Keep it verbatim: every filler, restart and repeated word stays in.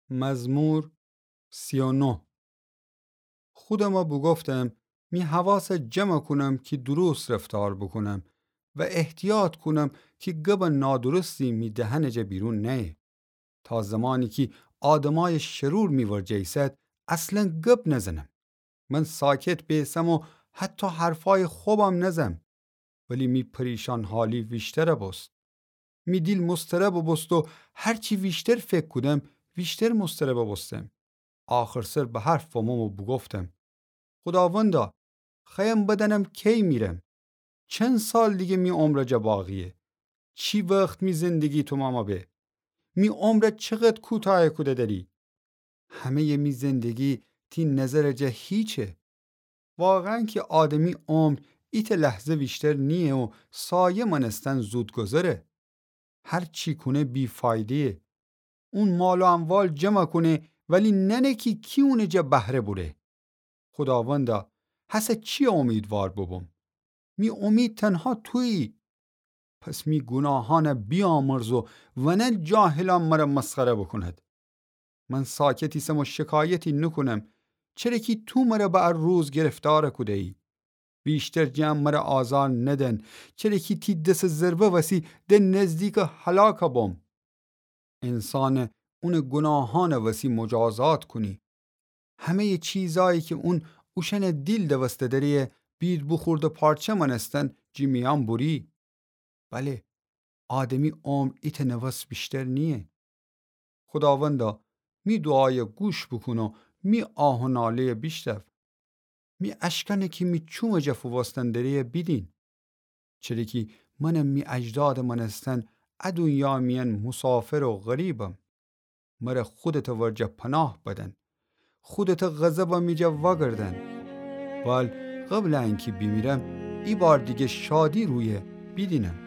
مزمور سی و نه. خودمه بوگفتم، می حواسه جمع کونم کی درست رفتار بوکونم و احتیاط کونم کی گبٚ نادرستی می دهنٚ جا بیرون نأیه. تا زمانی کی آدمأیٚ شرور می ورجه ایسد، اصلاً گب نزنم. من ساکت بیسم و حتی حرفأیٚ خبم نزم. ولی می پریشان حالی ویشتر بوست. می دیل مضطرب بوست و هرچی ویشتر فکر کودم، ویشتر مضطرب بوستم. آخرسر به حرف فمم و بوگفتم، خوداوندا، خوأیم بدأنم کی میرم؟ چند سال دیگه می عمرٚ جا باقیه؟ چی وخت می زندگی تومامه به؟ می عمره چقدر کوتأیه کوده دأری؟ همه‌یٚ می زندگی تی نظرٚ جا هیچه. واقعاً کی آدمی عمر ایتأ لحظه ویشتر نییه و سایه مأنستن زودگذره. هرچی کونه بی‌فایده‌یه. اون مال و اموال جمع کونه، ولی نأنه کی کی اونٚ جا بهره بوره. خوداوندا، هسه چی امیدوار بوبوم؟ می امید تنها تویی. پس می گوناهأنه بیامرز و ونه جاهلأن مره مسخره بوکوند. من ساکت ایسم و شکایتی نوکونم، چره کی تو مره به ا روز گرفتار کوده‌یی. ویشتر جٚه ا مره آزار ندن، چره کی تی دسٚ ضربه وسی د نزدیکٚ هلاک بوم. انسانه اونٚ گوناهأنٚ وسی مجازات کونی. همه‌یٚ چیزأیی کی اون اوشأنٚ دیل دوسته دریه، بید بوخورده پارچه مأنستن جٚه میأن بوری. بله، آدمی عمر ایتأ نوس ویشتر نییه. خوداوندا، می دوعایه گوش بوکون و می آه و ناله‌یه بیشنو. می اشکأنه کی می چومٚ جا فووستن دریه بیدین. چره کی منم می اجدادٚ مأنستن ا دونیا میأن مسافر و غریبم. مره خودتٚ ورجه پناه بدن. خودتٚ غضبه می جا وأگردن. وال قبلٚ انکی بیمیرم، ایبار دیگه شادی رویه بیدینم.